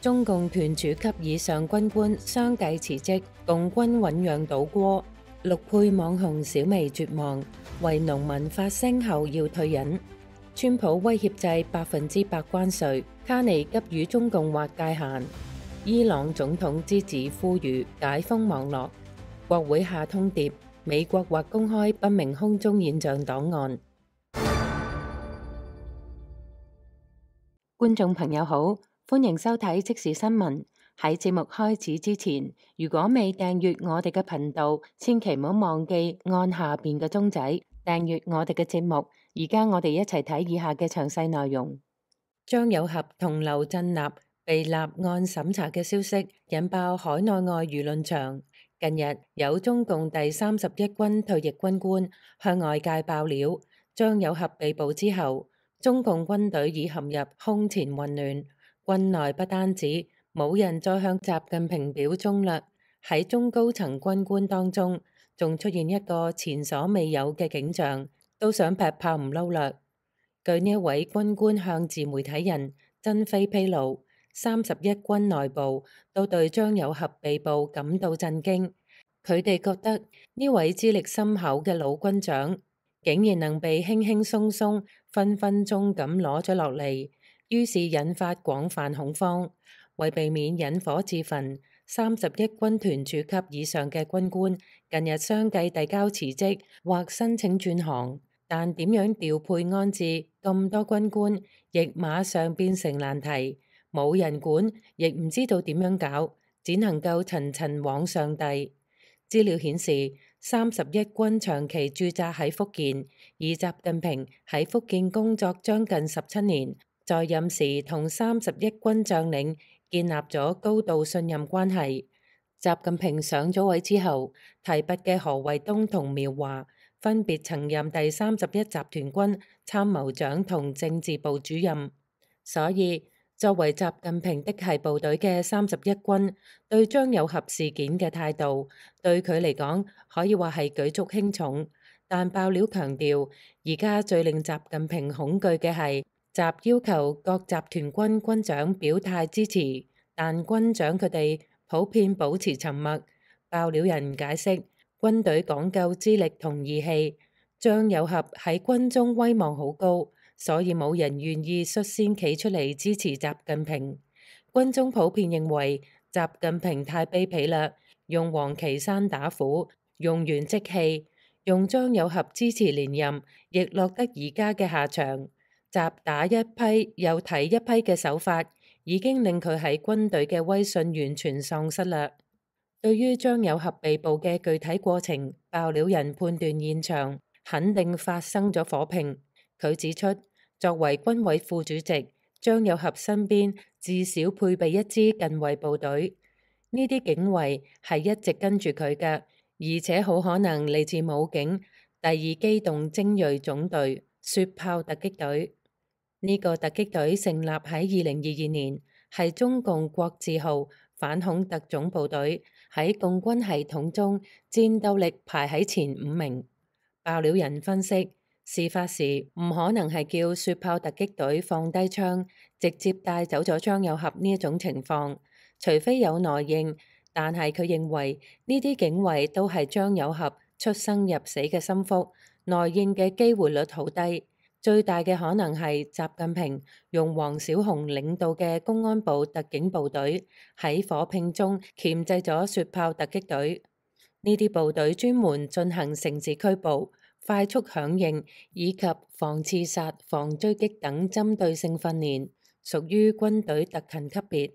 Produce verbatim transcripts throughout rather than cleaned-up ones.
中共團主級以上軍官相繼辭職，共軍醞釀倒戈。陸配網紅小薇絕望，為農民發聲後要退隱。川普威脅制百分之百關稅，卡尼急與中共劃界限。伊朗總統之子呼籲解封網絡。國會下通牒，美國或公開不明空中現象檔案。觀眾朋友好，歡迎收睇即時新聞。喺節目開始之前，如果未訂閱我哋嘅頻道，千祈唔好忘記按下邊嘅鐘仔訂閱我哋嘅節目。而家我哋一齊睇以下嘅詳細內容。張有俠同劉振立被立案審查嘅消息引爆海內外輿論場。近日有中共第三十一軍退役軍官向外界爆料，張有俠被捕之後，中共軍隊已陷入空前混亂，軍內不單止冇人再向習近平表忠啦，喺中高層軍官當中，仲出現一個前所未有嘅景象，都想劈炮唔撈啦。據呢一位軍官向自媒體人珍飛披露，三十一軍內部都對張有俠被捕感到震驚，佢哋覺得呢位資歷深厚嘅老軍長竟然能被輕輕鬆鬆、分分鐘咁攞咗落嚟，於是引發廣泛恐慌。為避免引火自焚，三十一軍團主級以上嘅軍官近日相繼遞交辭職或申請轉行，但點樣調配安置咁多軍官，亦馬上變成難題。冇人管，亦唔知道點樣搞，只能夠層層往上遞。資料顯示，三十一軍長期駐紮喺福建，而習近平喺福建工作將近十七年，在任時同三十一軍將領建立咗高度信任關係。習近平上咗位之後，提拔嘅何衛東同苗華分別曾任第三十一集團軍參謀長同政治部主任。所以作為習近平的係部隊嘅三十一軍對張有俠事件嘅態度，對佢嚟講可以話係舉足輕重。但爆料強調，而家最令習近平恐懼嘅係習要求各集團軍軍長表態支持，但軍長佢哋普遍保持沉默。爆料人解釋，軍隊講究資歷同義氣，張有俠喺軍中威望好高，所以冇人願意率先企出嚟支持習近平。軍中普遍認為習近平太卑鄙啦，用王岐山打虎，用完即棄，用張有俠支持連任，亦落得而家嘅下場。習打一批又提一批嘅手法，已經令佢喺軍隊嘅威信完全喪失啦。對於張有俠被捕嘅具體過程，爆料人判斷現場肯定發生咗火拼。佢指出，作為軍委副主席，張有俠身邊至少配備一支近衛部隊，呢啲警衛係一直跟住佢嘅，而且好可能嚟自武警第二機動精銳總隊雪豹突擊隊。呢個突擊隊成立喺二零二二年，係中共國字號反恐特種部隊，喺共軍系統中戰鬥力排喺前五名。爆料人分析，事發時唔可能係叫雪豹突擊隊放低槍，直接帶走咗張有俠呢一種情況，除非有內應。但係佢認為呢啲警衛都係張有俠出生入死嘅心腹，內應嘅機會率好低。最大嘅可能係習近平用黃小紅領導嘅公安部特警部隊喺火拼中鉗制咗雪豹突擊隊。呢啲部隊專門進行城市拘捕、快速響應以及防刺殺、防追擊等針對性訓練，屬於軍隊特勤級別。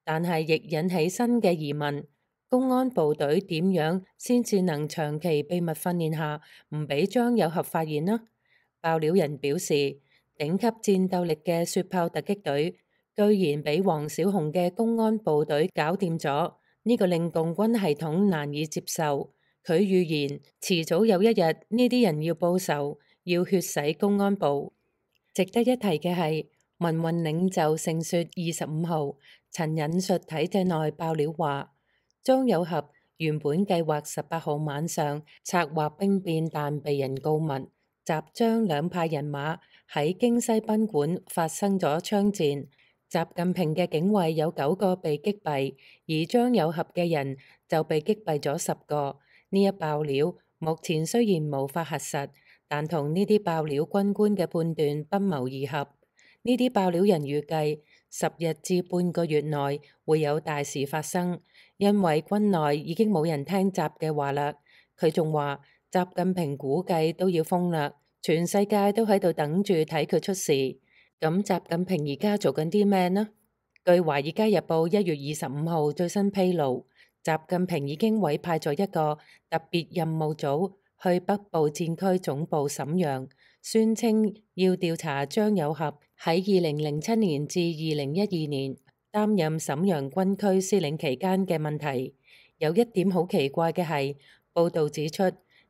但係亦引起新嘅疑問：公安部隊點樣先至能長期秘密訓練下唔俾張有俠發現呢？爆料人表示，頂級戰鬥力嘅雪豹突擊隊居然俾黃小紅嘅公安部隊搞掂咗，呢個令共軍系統難以接受。佢預言遲早有一日呢啲人要報仇，要血洗公安部。值得一提嘅係，民運領袖盛雪二十五號曾引述體制內爆料話，張有俠原本計劃十八號晚上策劃兵變，但被人告密。習張兩派人馬喺京西賓館發生咗槍戰，習近平嘅警衛有九個被擊斃，而張有俠嘅人就被擊斃咗十個。呢一爆料目前雖然無法核實，但同呢啲爆料軍官嘅判斷不謀而合。呢啲爆料人預計十日至半個月內會有大事發生，因為軍內已經冇人聽習嘅話啦。佢仲話習近平估計都要瘋啦，全世界都喺度等住睇佢出事。咁習近平而家做緊啲咩呢？據《華爾街日報》一月二十五號最新披露，習近平已經委派咗一個特別任務組去北部戰區總部瀋陽，宣稱要調查張有俠喺二零零七年至二零一二年擔任瀋陽軍區司令期間嘅問題。有一點好奇怪嘅係，報道指出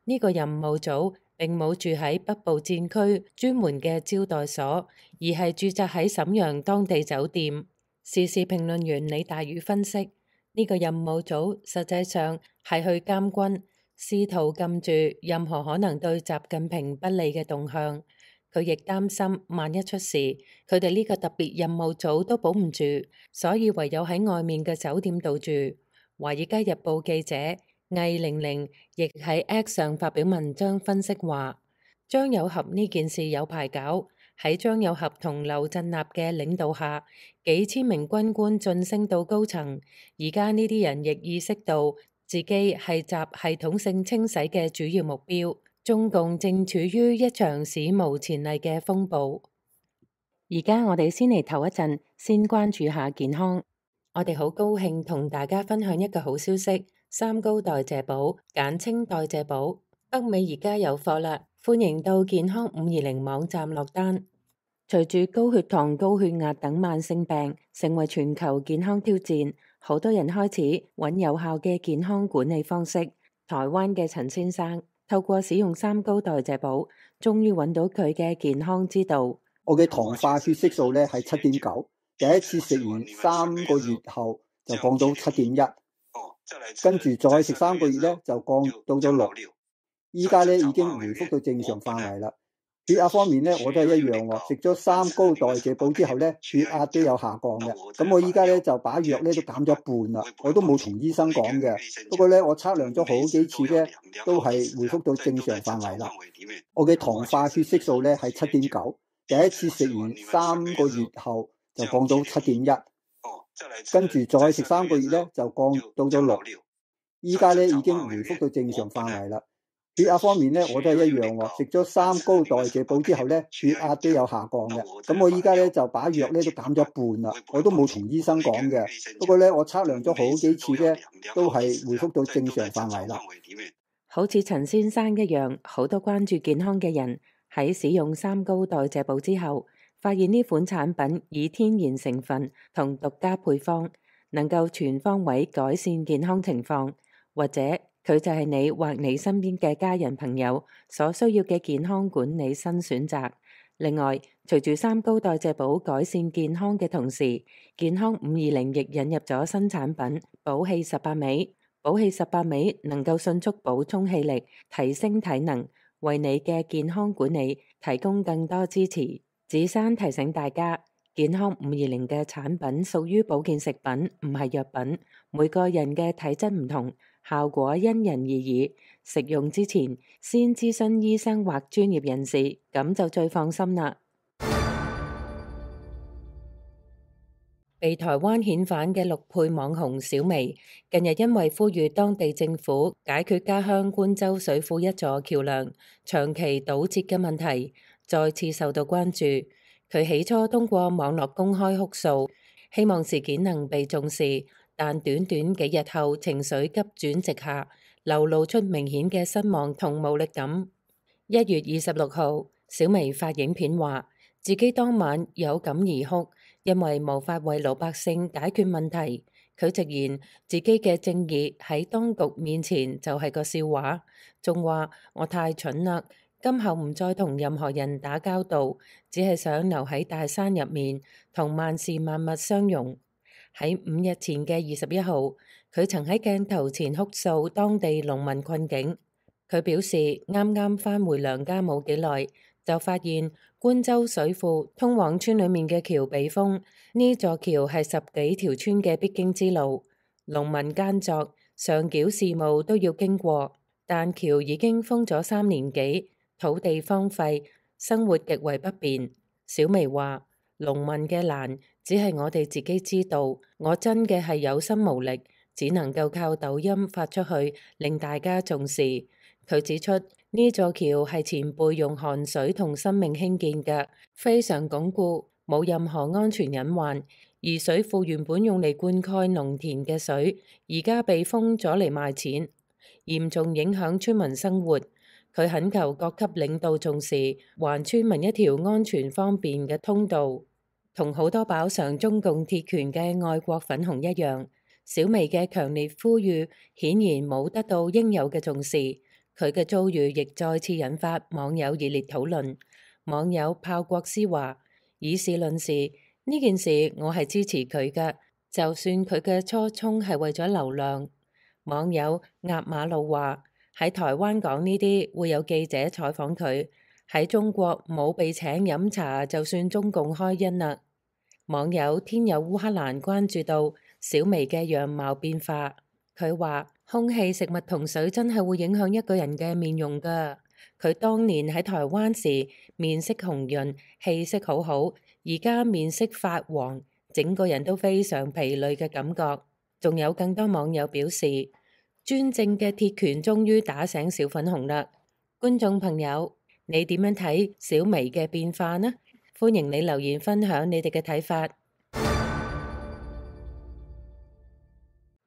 呢個任務組並冇住喺北部戰區專門嘅招待所，而係駐紮喺瀋陽當地酒店。時事評論員李大宇分析，呢個任務組實際上係去監軍，試圖禁住任何可能對習近平不利嘅動向。佢亦擔心萬一出事，佢哋呢個特別任務組都保唔住，所以唯有喺外面嘅酒店度住。華爾街日報記者魏玲玲亦喺 X 上發表文章分析話，張有俠呢件事有排搞。喺張有俠同劉振立嘅領導下，幾千名軍官晉升到高層。而家呢啲人亦意識到自己係習系統性清洗嘅主要目標。中共正處於一場史無前例嘅風暴。而家我哋先嚟唞一陣，先關注下健康。我哋好高興同大家分享一個好消息，三高代謝寶，簡稱代謝寶，北美而家有貨啦，歡迎到健康五二零網站落單。隨住高血糖、高血壓等慢性病成為全球健康挑戰，好多人開始揾有效嘅健康管理方式。台灣嘅陳先生透過使用三高代謝寶，終於揾到佢嘅健康之道。我嘅糖化血色素咧係七點九，第一次食完三個月後就降到七點一，跟住再食三個月咧就降到咗六，依家咧已經回復到正常範圍啦。血壓方面咧我都係一樣喎，食咗三高代謝寶之後咧血壓都有下降嘅。咁我依家咧就把藥咧都減咗一半啦，我都冇同醫生講嘅。不過咧我測量咗好幾次咧都係回復到正常範圍啦。我嘅糖化血色素咧係七點九，第一次食完三個月後就降到七點一，跟住再食三個月咧就降到咗六，依家咧已經回復到正常範圍啦。血壓方面咧我都係一樣喎，食咗三高代謝寶之後咧血壓都有下降嘅。咁我依家咧就把藥咧都減咗一半啦，我都冇同醫生講嘅。不過咧我測量咗好幾次咧都係回復到正常範圍啦。好似陳先生一樣，好多關注健康嘅人喺使用三高代謝寶之後，發現呢款產品以天然成分同獨家配方，能夠全方位改善健康情況，或者佢就係你或你身邊嘅家人朋友所需要嘅健康管理新選擇。另外，隨住三高代謝寶改善健康嘅同時，健康五二零亦引入咗新產品寶氣十八味。寶氣十八味能夠迅速補充氣力，提升體能，為你嘅健康管理提供更多支持。子珊提醒大家，健康五二零嘅產品屬於保健食品，唔係藥品。每個人嘅體質唔同，效果因人而異。食用之前先諮詢醫生或專業人士，咁就最放心啦。被台灣遣返嘅陸配網紅小薇，近日因為呼籲當地政府解決家鄉觀州水庫一座橋梁長期堵截嘅問題，再次受到關注。佢起初通過網絡公開哭訴，希望事件能被重視，但短短幾日後情緒急轉直下，流露出明顯嘅失望同無力感。一月二十六號，小薇發影片話自己當晚有感而哭，因為無法為老百姓解決問題。佢直言自己嘅正義喺當局面前就係個笑話，仲話我太蠢啦，今後唔再同任何人打交道，只係想留喺大山入面同萬事萬物相融。喺五日前嘅二十一號，佢曾喺鏡頭前哭訴當地農民困境。佢表示啱啱返回娘家冇幾耐，就發現觀洲水庫通往村裏面嘅橋被封，呢座橋係十幾條村嘅必經之路，農民耕作、上繳事務都要經過，但橋已經封咗三年幾，土地荒廢，生活極為不便。小薇話：農民嘅難只係我哋自己知道，我真嘅係有心無力，只能夠靠抖音發出去，令大家重視。佢指出，呢座橋係前輩用汗水同生命興建嘅，非常鞏固，冇任何安全隱患。而水庫原本用嚟灌溉農田嘅水，而家被封咗嚟賣錢，嚴重影響村民生活。佢懇求各級領導重視，還村民一條安全方便嘅通道。同好多飽嘗中共鐵拳嘅愛國粉紅一樣，小薇嘅強烈呼籲顯然冇得到應有嘅重視。佢嘅遭遇亦再次引發網友熱烈討論。網友炮國師話：以事論事，呢件事我係支持佢嘅，就算佢嘅初衷係為咗流量。網友壓馬路話：喺台灣講呢啲會有記者採訪佢，喺中國冇被請飲茶就算中共開恩啦。網友天有烏克蘭關注到小薇嘅樣貌變化，佢話：空氣、食物同水真係會影響一個人嘅面容㗎。佢當年喺台灣時面色紅潤，氣色好好，而家面色發黃，整個人都非常疲累嘅感覺。仲有更多網友表示，專政嘅鐵拳終於打醒小粉紅啦。觀眾朋友，你點樣睇小薇嘅變化呢？歡迎你留言分享你哋嘅睇法。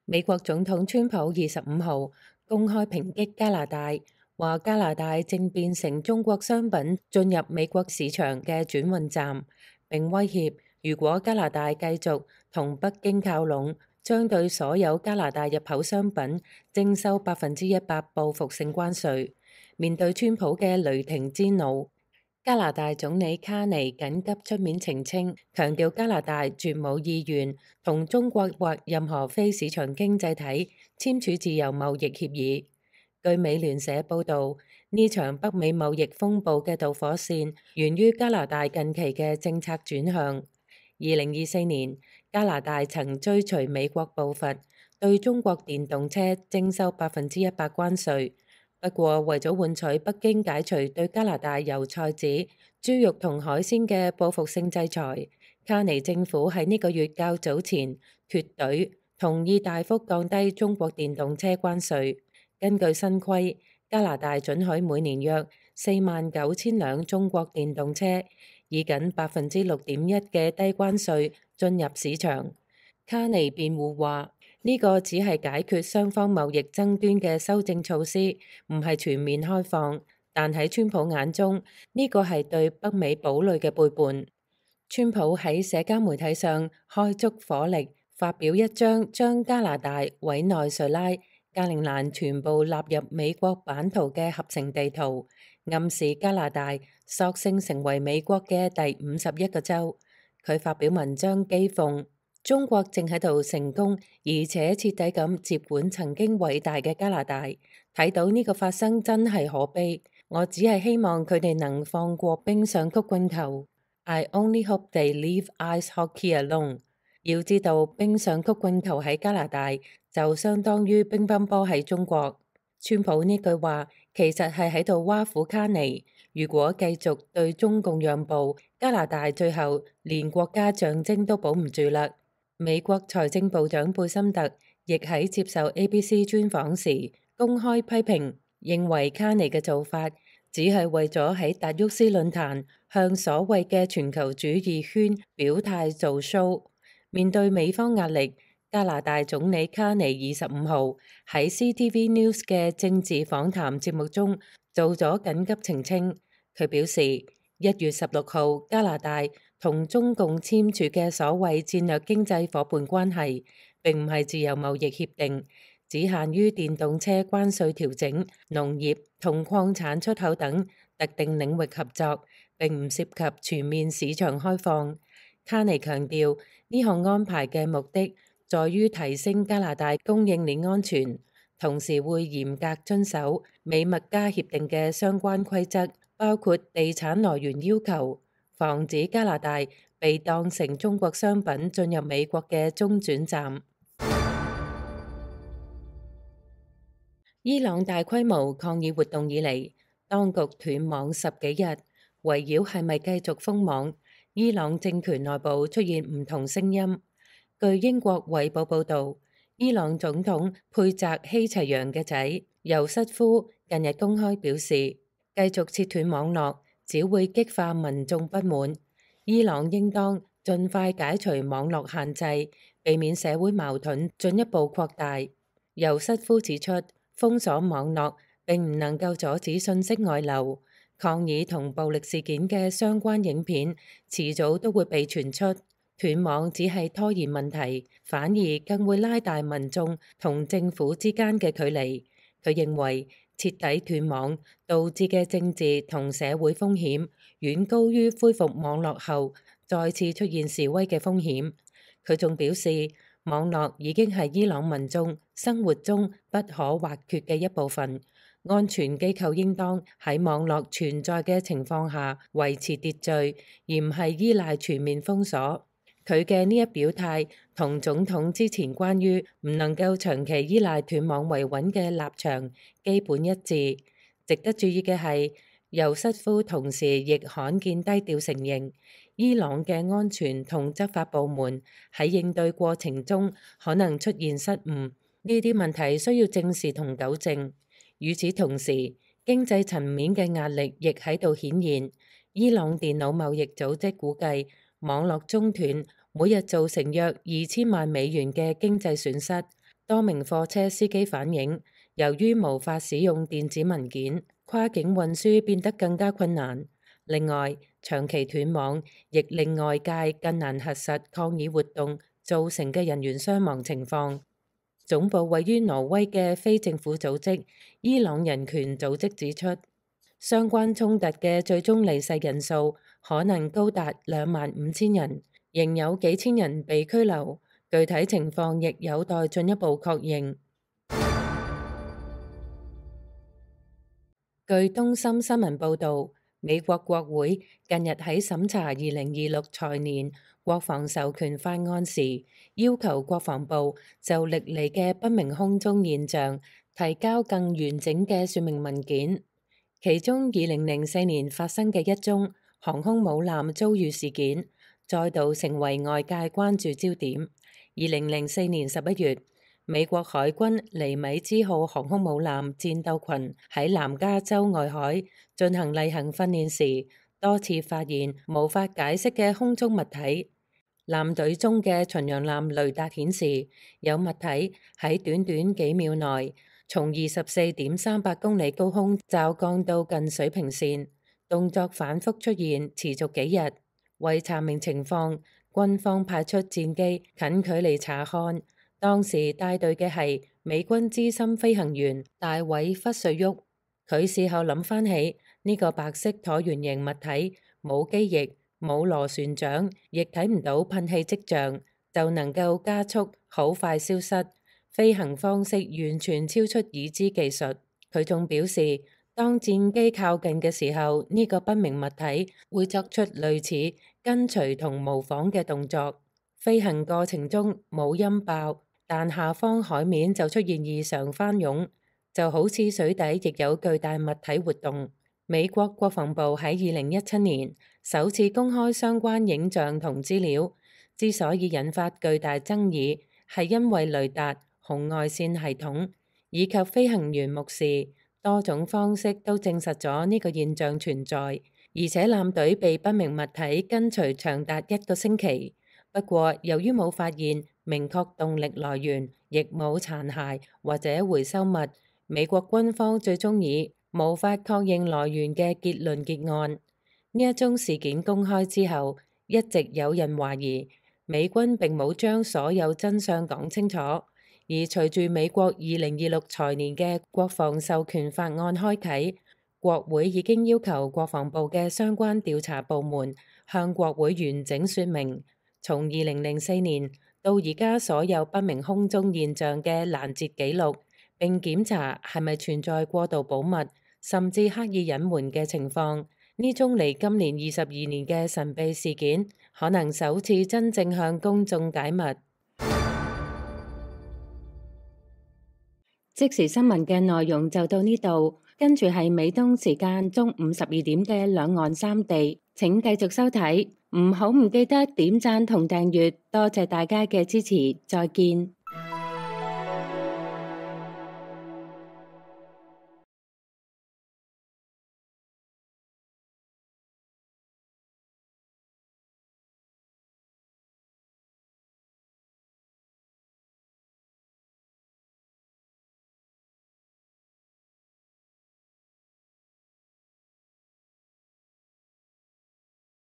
美國總統川普二十五號公開抨擊加拿大，話加拿大正變成中國商品進入美國市場嘅轉運站，並威脅如果加拿大繼續同北京靠攏，將對所有加拿大入口商品徵收百分之一百報復性關稅。面對川普嘅雷霆之怒，加拿大總理卡尼緊急出面澄清，強調加拿大絕冇意願同中國或任何非市場經濟體簽署自由貿易協議。據美聯社報導，呢場北美貿易風暴嘅導火線源於加拿大近期嘅政策轉向。二零二四年，加拿大曾追隨美國步伐，對中國電動車徵收百分之一百關稅。不過，為咗換取北京解除對加拿大油菜籽、豬肉同海鮮嘅報復性制裁，卡尼政府喺呢個月較早前脫隊，同意大幅降低中國電動車關稅。根據新規，加拿大准許每年約四萬九千輛中國電動車以僅百分之六點一嘅低關稅進入市場。卡尼辯護話：呢個只係解決雙方貿易爭端嘅修正措施，唔係全面開放。但喺川普眼中，呢個係對北美堡壘嘅背叛。川普喺社交媒體上開足火力，發表一張將加拿大、委內瑞拉、格陵蘭全部納入美國版圖嘅合成地圖，暗示加拿大索性成為美國嘅第五十一個州。佢發表文章譏諷中國正喺度成功而且徹底咁接管曾經偉大嘅加拿大，睇到呢個發生真係可悲。我只係希望佢哋能放過冰上曲棍球。I only hope they leave ice hockey alone。要知道，冰上曲棍球喺加拿大就相當於乒乓波喺中國。川普呢句話其實係喺度挖苦卡尼，如果繼續對中共讓步，加拿大最後連國家象徵都保唔住啦。美國財政部長貝森特亦喺接受 A B C 專訪時公開批評，認為卡尼嘅做法只係為咗喺達沃斯論壇向所謂嘅全球主義圈表態做 show。面對美方壓力，加拿大總理卡尼二十五號喺 C T V News 嘅政治訪談節目中做咗緊急澄清。佢表示，一月十六號加拿大同中共簽署嘅所謂戰略經濟夥伴關係，並唔係自由貿易協定，只限於電動車關稅調整、農業同礦產出口等特定領域合作，並唔涉及全面市場開放。卡尼強調，呢項安排嘅目的在於提升加拿大供應鏈安全，同時會嚴格遵守美墨加協定嘅相關規則，包括地產來源要求、防止加拿大被當成中國商品進入美國嘅中轉站。伊朗大規模抗議活動以嚟，當局斷網十幾日，圍繞係咪繼續封網，伊朗政權內部出現唔同聲音。據英國《衛報》報導，伊朗總統佩澤希齊揚嘅仔尤瑟夫近日公開表示，繼續切斷網絡只會激化民眾不滿，伊朗應當盡快解除網絡限制，避免社會矛盾進一步擴大。尤瑟夫指出，封鎖網絡並唔能夠阻止信息外流，抗議同暴力事件嘅相關影片遲早都會被傳出。斷網只係拖延問題，反而更會拉大民眾同政府之間嘅距離。佢認為徹底斷網導致嘅政治同社會風險遠高於恢復網絡後再次出現示威嘅風險。佢仲表示，網絡已經係伊朗民眾生活中不可或缺嘅一部分，安全機構應當喺網絡存在嘅情況下維持秩序，而唔係依賴全面封鎖。佢嘅呢一表態同總統之前關於唔能夠長期依賴斷網維穩嘅立場基本一致。值得注意嘅係，尤瑟夫同時亦罕見低調承認，伊朗嘅安全同執法部門喺應對過程中可能出現失誤，呢啲問題需要正視同糾正。與此同時，經濟層面嘅壓力亦喺度顯現。伊朗電腦貿易組織估計，網絡中斷每日造成約二千萬美元嘅經濟損失。多名貨車司機反映，由於無法使用電子文件，跨境運輸變得更加困難。另外，長期斷網亦令外界更難核實抗議活動造成嘅人員傷亡情況。總部位於挪威嘅非政府組織伊朗人權組織指出，相關衝突嘅最終離世人數可能高達兩萬五千人，仍有幾千人被拘留，具體情況亦有待進一步確認。據東森新聞報導，美國國會近日喺審查二零二六財年國防授權法案時，要求國防部就歷嚟嘅不明空中現象提交更完整嘅說明文件。其中，二零零四年發生嘅一宗航空母艦遭遇事件，再度成為外界關注焦點。二零零四年十一月，美國海軍尼米茲號航空母艦戰鬥群喺南加州外海進行例行訓練時，多次發現無法解釋嘅空中物體。艦隊中嘅巡洋艦雷達顯示，有物體喺短短幾秒內從二十四點三八公里高空驟降到近水平線，動作反覆出現，持續幾日。為查明情況，軍方派出戰機近距離查看。當時帶隊嘅係美軍資深飛行員大衛·弗瑞沃。佢事後諗翻起呢個白色橢圓形物體，冇機翼，冇螺旋槳，亦睇唔到噴氣跡象，就能夠加速好快消失，飛行方式完全超出已知技術。佢仲表示，當戰機靠近嘅時候，呢個不明物體會作出類似跟隨同模仿嘅動作。飛行過程中冇音爆，但下方海面就出現異常翻湧，就好似水底亦有巨大物體活動。美國國防部喺二零一七年首次公開相關影像同資料，之所以引發巨大爭議，係因為雷達、紅外線系統以及飛行員目視多種方式都證實咗呢個現象存在，而且艦隊被不明物體跟隨長達一個星期。不過，由於冇發現明確動力來源，亦冇殘骸或者回收物，美國軍方最終以無法確認來源嘅結論結案。呢一宗事件公開之後，一直有人懷疑美軍並冇將所有真相講清楚。而隨住美國二零二六財年嘅國防授權法案開啟，國會已經要求國防部嘅相關調查部門向國會完整說明，從二零零四年到而家所有不明空中現象嘅攔截記錄，並檢查係咪存在過度保密甚至刻意隱瞞嘅情況。呢宗離今年二十二年嘅神秘事件，可能首次真正向公眾解密。即時新聞嘅內容就到呢度，跟住係美東時間中午十二點嘅兩岸三地，請繼續收睇，唔好唔記得點讚同訂閱，多謝大家嘅支持，再見。